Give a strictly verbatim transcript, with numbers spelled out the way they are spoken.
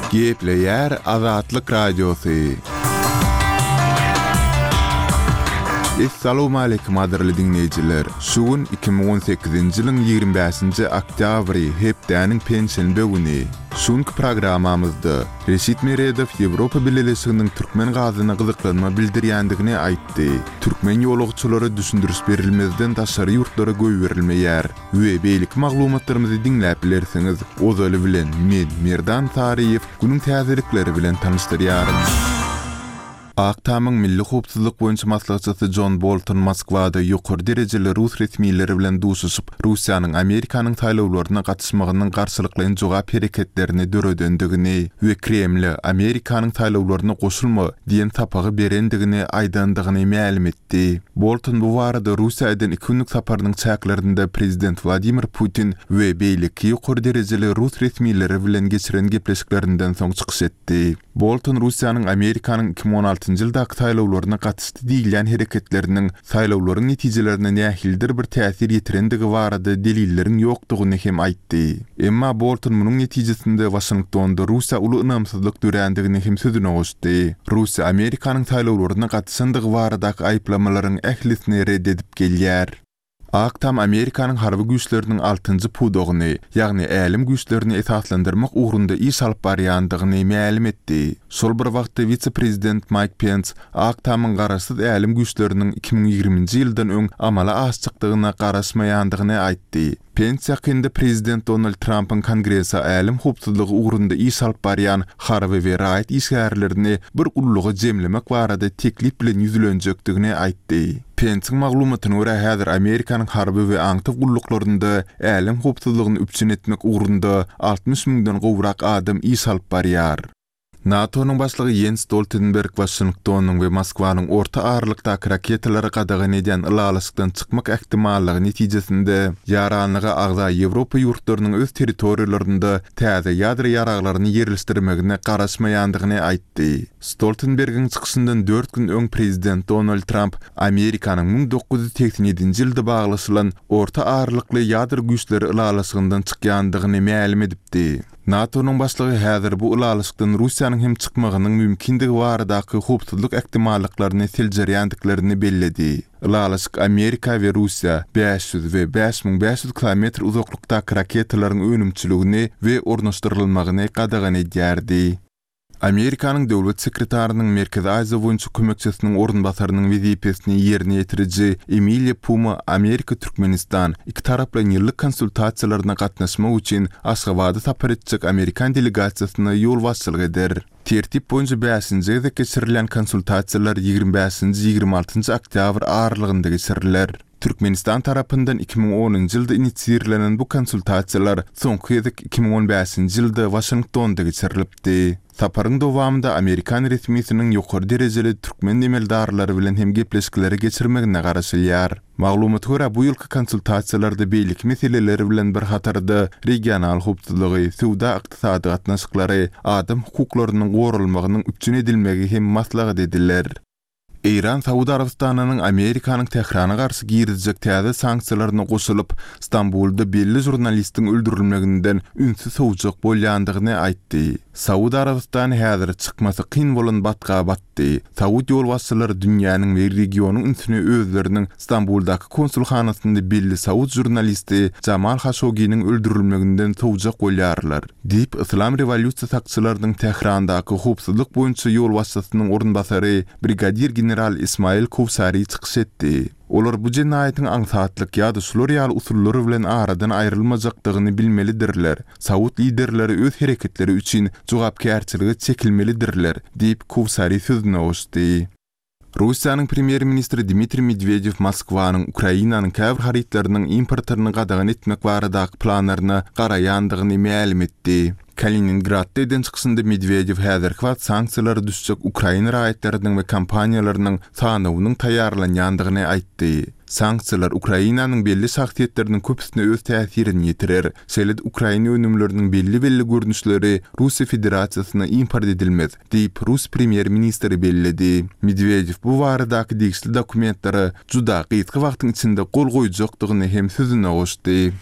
Gepleýär Azatlyk Radiosy. Essalawmaleýkim gadyrly diňleýjiler! Şu gün iki müň on sekizinji ýylyň ýigrimi bäşinji oktýabry, hepdäniň penşenbe güni. Şu günki programmamyzda Reşit Meredow Ýewropa Bileleşiginiň türkmen gazyna gyzyklanma bildirýändigini aýtdy. Türkmen ýolagçylary düşündiriş berilmezden daşary ýurtlara goýberilmeýär we beýleki maglumatlarymyzy diňläp bilersiňiz. Ozaly bilen men, Merdan Saryýew, günüň täzelikleri bilen tanyşdyrýaryn. Ak Tamyň milli howpsuzlyk boýunça maslahatçysy Jon Bolton Moskwada ýokary derejeli rus resmileri bilen duşuşyp, Russiýanyň Amerikanyň saýlawlaryna gatyşmagynyň garşylyklaýyn jogap hereketlerini döredendigini we Kremle Amerikanyň saýlawlaryna goşulma diýen sapagy berendigini aýdandygyny mälim etdi. Bolton bu barada Russiýa eden iki günlük saparynyň çäklerinde prezident Wladimir Putin we beýleki ýokary derejeli rus resmileri bilen geçiren gepleşiklerinden soň çykyş etdi. Bolton Russiýanyň Amerikanyň iki müň on altynjy ýyldaky saýlawlaryna gatyşdy diýilýän hereketleriniň saýlawlaryň netijelerine nähilidir bir täsir ýetirendigi barada delilleriň ýokdugyny hem aýtdy. Emma Bolton munuň netijesinde Waşingtonda Russiýa uly ynamsyzlyk dörändigini hem sözüne goşdy. Russiýa Amerikanyň saýlawlaryna gatyşandygy baradaky aýyplamalaryň ählisini red edip gelýär. Ak Tam Amerikanyň harby güýçleriniň altynjy pudagyny, ýagny älem güýçlerini esaslandyrmak ugrunda iş alyp barýandygyny mälim etdi. Şol bir wagtda wise-prezident Maýk Pens Ak Tamyň garaşsyz älem güýçleriniň iki müň ýigriminji ýyldan öň amala aşjakdygyna garaşmaýandygyny aýtdy. Pens ýakynda prezident Donald Trampyň Kongrese älem howpsuzlygy ugrunda iş alyp barýan harby we raýat işgärlerini bir gulluga jemlemek barada teklip bilen ýüzlenjekdigini aýtdy. Pensiň maglumatyna görä, häzir Amerikanyň harby we aňtaw gulluklarynda älem howpsuzlygyny üpjün etmek ugrunda altmyş müňden gowrak adam iş alyp barýar. NATO-nyň başlygy Ýens Stoltenberg Waşingtonyň we Moskwanyň orta aralykdaky raketalary gadagan edýän ylalaşykdan çykmak ähtimallygy netijesinde ýaranlyga agza Ýewropa ýurtlarynyň öz territoriýalarynda täze ýadro ýaraglaryny ýerleşdirmegine garaşmaýandygyny aýtdy. Stoltenbergiň çykyşyndan dört gün öň prezident Donald Tramp Amerikanyň müň dokuz ýüz segsen ýedinji ýylda baglaşylan orta aralykly ýadro güýçleri ylalaşygyndan çykýandygyny mälim edipdi. NATO-nyň başlygy häzir bu ylalaşykdan Russiýanyň hem çykmagynyň mümkindigi baradaky howpsuzlyk ähtimallyklaryny seljerýändiklerini belledi. Ylalaşyk Amerika we Russiýa bäş ýüz we bäş müň bäş ýüz kilometr uzaklykdaky raketalaryň önümçiligini we ornaşdyrylmagyny gadagan edýärdi. Amerikanyň döwlet sekretarynyň Merkezi Aziýa boýunça kömekçisiniň orunbasarynyň wezipesini ýerine ýetiriji Emiliýa Puma Amerika-Türkmenistan ikitaraplaýyn ýyllyk konsultasiýalaryna gatnaşmak üçin Aşgabada sapar etjek amerikan delegasiýasyna ýolbaşçylyk eder. Tertip boýunça bäşinji gezek geçirilýän konsultasiýalar ýigrimi bäşinji-ýigrimi altynjy oktýabr aralygynda geçiriler. Türkmenistan tarapyndan iki müň onunjy ýylda inisiirlenen bu konsultasiýalar soňky gezek iki müň on bäşinji ýylda Waşingtonda geçirilipdi. Saparyň dowamynda amerikan resmisiniň ýokary derejeli türkmen emeldarlary bilen hem gepleşikleri geçirmegine garaşylýar. Maglumata görä, bu ýylky konsultasiýalarda beýleki meseleler bilen bir hatarda regional howpsuzlygy, söwda-ykdysady gatnaşyklary, adam hukuklarynyň goralmagynyň üpjün edilmegi hem maslahat ediler. Eýran Saud Arabystanynyň Amerikanyň Tährana garşy girizjek täze sanksiýalaryna goşulyp, Stambulda belli žurnalistiň öldürilmeginden ünsi sowjak bolýandygyny aýtdy. Saud Arabystany häzir çykmasy kyn bolan batga batdy. Saud ýolbaşçylary dünýäniň we regionyň ünsüni özleriniň Stambuldaky konsulhanasynda belli saud žurnalisti Jamal Haşoginiň öldürilmeginden sowjak bolýarlar, diýip, Yslam rewolýusiýa sakçylarynyň Tährandaky howpsuzlyk boýunça ýolbaşçysynyň orunbasary brigadir general Ismail Kowsari çykyş etdi. Olar bu jenaýatyň aňsatlyk ýa-da şular ýaly usullar bilen aradan aýrylmajakdygyny bilmelidirler. Saud liderleri öz hereketleri üçin jogapkärçilige çekilmelidirler, diýip, Kowsari sözüne goşdy. Russiýanyň premýer-ministri Dmitriý Medwedew Moskwanyň Ukrainanyň käbir harytlarynyň importyny gadagan etmek baradaky planlaryna garaýandygyny mälim etdi. Kaliningradda eden çykyşynda Medwedew häzirki wagt sanksiýalara düşjek ukrain raýatlarynyň we kompaniýalarynyň sanawynyň taýýarlanýandygyny aýtdy. Sanksiýalar Ukrainanyň belli şahsyýetleriniň köpüsine öz täsirini ýetirer. Şeýle-de ukrain önümleriniň belli-belli görnüşleri Russiýa Federasiýasyna import edilmez, diýip, rus premýer-ministri belledi. Medwedew bu baradaky degişli dokumentlere juda gysga wagtyň içinde gol goýjakdygyny hem sözüne goşdy.